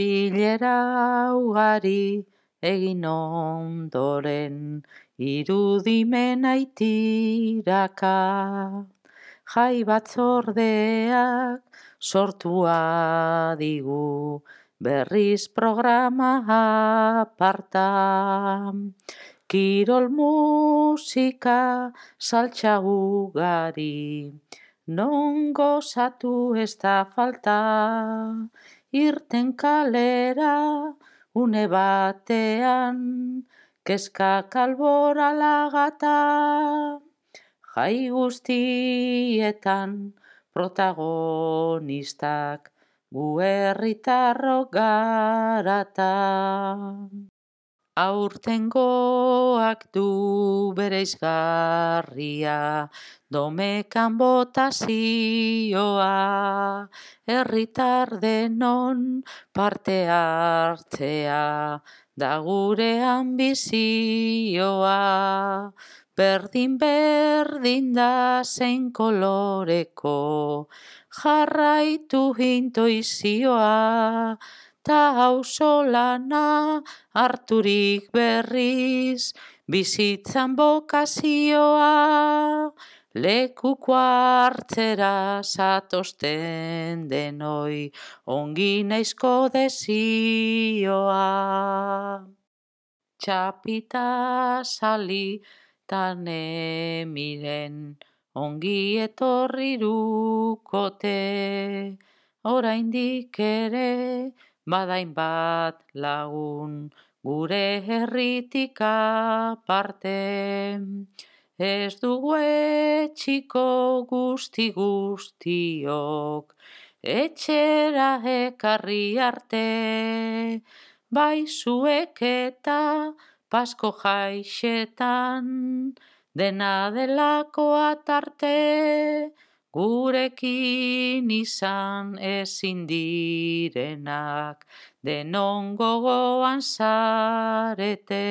Bilera ugari egin ondoren, irudimena itiraka. Jai batzordeak sortua digu, berriz programa aparta. Kirol musika saltsa ugari, non gozatu ez da falta. Irten kalera une batean, kezkak alboralagata. Jai guztietan protagonistak gu herritarrok garata. Aurtengoak du bereizgarria, domekan botazioa, herritar denon parte hartzea, da gure ambizioa. Berdin da zein koloreko, jarraitu intuizioa, ta auzolana harturik berriz, bizitzan bokazioa. Lekuko hartzera zatozten denoi, ongi naizko desioa. Txapita sali tan emiren, ongi etorri rukote. Oraindik ere badain bat lagun, gure herritik aparte. Ez dugu etxiko guztiok, etxera ekarri arte. Bai zuek eta Pasko jaixetan, dena delakoa tarte. Gurekin izan ezin direnak, denon gogoan zarete.